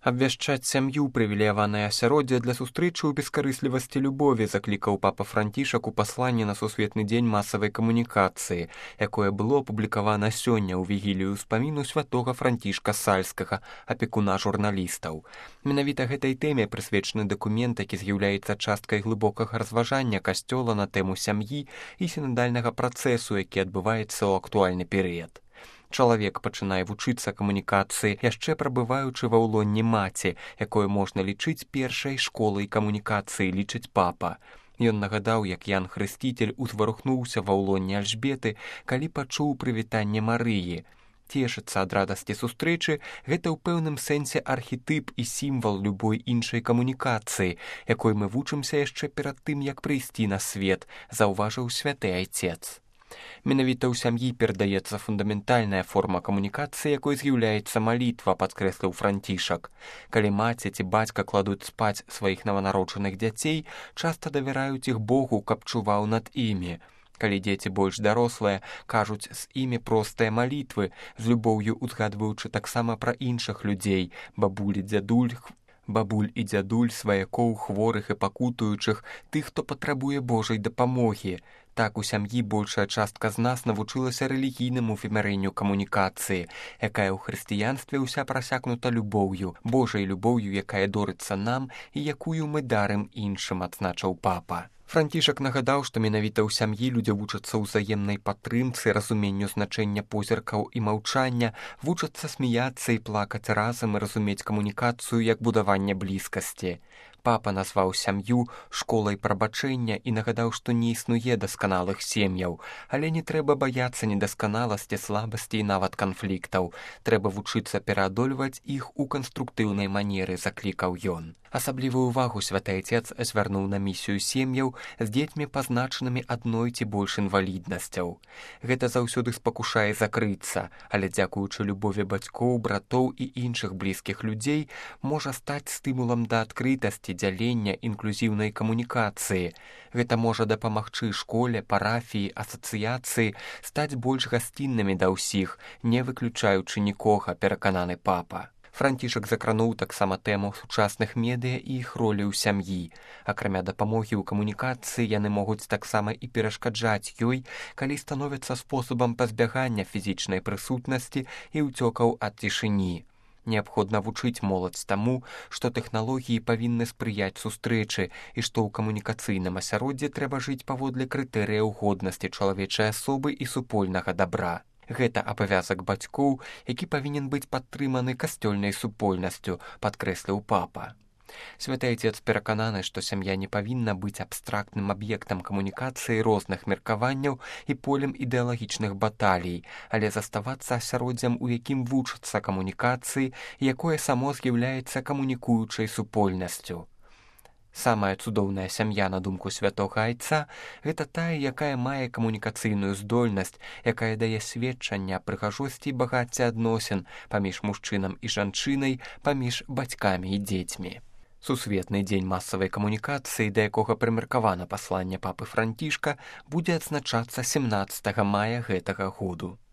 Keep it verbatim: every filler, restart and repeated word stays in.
Абвяшчаць сям'ю прывілеяванае асяроддзе для сустрэчы ў бескарыслівасці любові заклікаў папа Францішак у пасланні на сусветны дзень масавай камунікацыі, якое было апублікавана сёння ў вігілію ўспаміну святога Францішка Сальскага, апекуна журналістаў. Менавіта гэтай тэме прысвечаны дакумент, які з'яўляецца часткай глыбокага разважання касцёла на тэму сям'і і сінадальнага працэсу, які адбываецца ў актуальны перыяд. Чалавек пачынае вучыцца камунікацыі, яшчэ прабываючы ва ўлонні маці, якое можна лічыць першай школай камунікацыі, лічыць папа. Ён нагадаў, як Ян Хрысціцель узварухнуўся ва ўлонні Альжбеты, калі пачуў прывітанне Марыі. Цешыцца ад радасці сустрэчы – гэта ў пэўным сэнсе архетып і сімвал любой іншай камунікацыі, якой мы вучымся яшчэ перад тым, як прыйсці на свет, заўважыў святы айцец. Менавіта ў сям'і перадаецца фундаментальная форма камунікацыі, якой з'яўляецца малітва, падкрэсліў Францішак. Калі маці ці бацька кладуць спаць сваіх нованароджаных дзяцей, часта давяраюць іх Богу, каб чуваў над імі. Калі дзеці больш дарослыя, кажуць з імі простыя малітвы, з любоўю узгадваючы таксама пра іншых людзей, бабулі, дзядуль, бабуль і дзядуль, сваякоў, хворых і пакутуючых, тых, хто патрабуе Божай дапамогі. Так у сям'і большая частка з нас навучылася рэлігійнаму вымярэнню камунікацыі, якая ў хрысціянстве ўся прасякнута любоўю, Божай любоўю, якая дорыцца нам і якую мы дарым іншым, адзначыў папа. Францішак нагадаў, што менавіта ў сям'і людзі вучацца ўзаемнай падтрымцы, разуменню значэння позіркаў і маўчання, вучацца смяяцца і плакаць разам і разумець камунікацыю як будаванне блізкасці. Папа назваў сям'ю школай прабачэння і нагадаў, што не існуе дасканалых сем'яў, але не трэба баяцца недасканаласці, слабасці і нават канфліктаў. Трэба вучыцца пераадольваць іх у канструктыўнай манеры, заклікаў ён. Асаблівую ўвагу святы айцец звярнуў на місію сем'яў з дзецьмі, пазначанымі адной ці больш інваліднасцяў. Гэта заўсёды спакушае закрыцца, але дзякуючы любові бацькоў, братоў і іншых блізкіх людзей можа стаць стымулам да адкрытасці, дзялення, інклюзіўнай камунікацыі. Гэта можа дапамагчы школе, парафіі, асацыяцыі стаць больш гасціннымі да ўсіх, не выключаючы нікога, перакананы папа. Францішак закрануў таксама тэму сучасных медыа і іх ролі ў сям'і. Акрамя дапамогі ў камунікацыі, яны могуць таксама і перашкаджаць ёй, калі становяцца спосабам пазбягання фізічнай прысутнасці і ўцёкаў ад цішыні. Неабходна вучыць моладзь таму, што тэхналогіі павінны спрыяць сустрэчы і што ў камунікацыйным асяроддзі трэба жыць паводле крытэрыяў годнасці чалавечай асобы і супольнага дабра. Гэта абавязак бацькоў, які павінен быць падтрыманы касцёльнай супольнасцю, падкрэсліў папа. Святы айцец перакананы, што сям'я не павінна быць абстрактным аб'ектам камунікацыі розных меркаванняў і полем ідэалагічных баталій, але заставацца асяроддзям, у якім вучацца камунікацыі, якое само з'яўляецца камунікуючай супольнасцю. Самая цудоўная сям'я, на думку святога айца, гэта тая, якая мае камунікацыйную здольнасць, якая дае сведчанне аб прыгажосці і багацці адносін паміж мужчынам і жанчынай, паміж бацькамі і дзецьмі. Сусветны дзень масавай камунікацыі, да якога прымеркавана пасланне папы Францішка, будзе адзначацца сямнаццатага мая гэтага году.